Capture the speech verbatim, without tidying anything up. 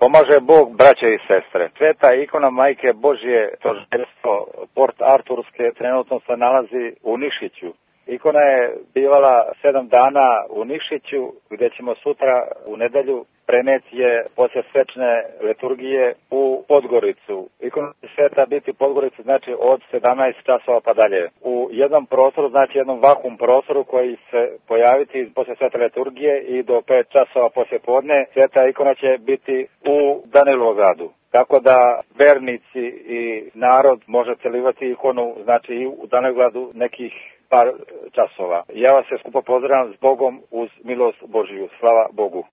Pomaže Bog, braće i sestre. Sveta ikona Majke Božje, tožiteljstvo Port Arturske, trenutno se nalazi u Nišiću. Ikona je bivala sedam dana u Nišiću, gdje ćemo sutra u nedelju preneti je poslije svečne liturgije u Podgoricu. Ikona će sveta biti u Podgorici, znači od sedamnaest časova pa dalje. U jednom prostoru, znači jednom vakum prostoru koji se pojaviti poslije svete liturgije i do pet časova poslije podne, sveta ikona će biti u Danilovgradu. Tako da vernici i narod može celivati ikonu, znači i u Danilovgradu nekih par časova. Ja vas sve skupo pozdravljam s Bogom uz milost Božiju. Slava Bogu.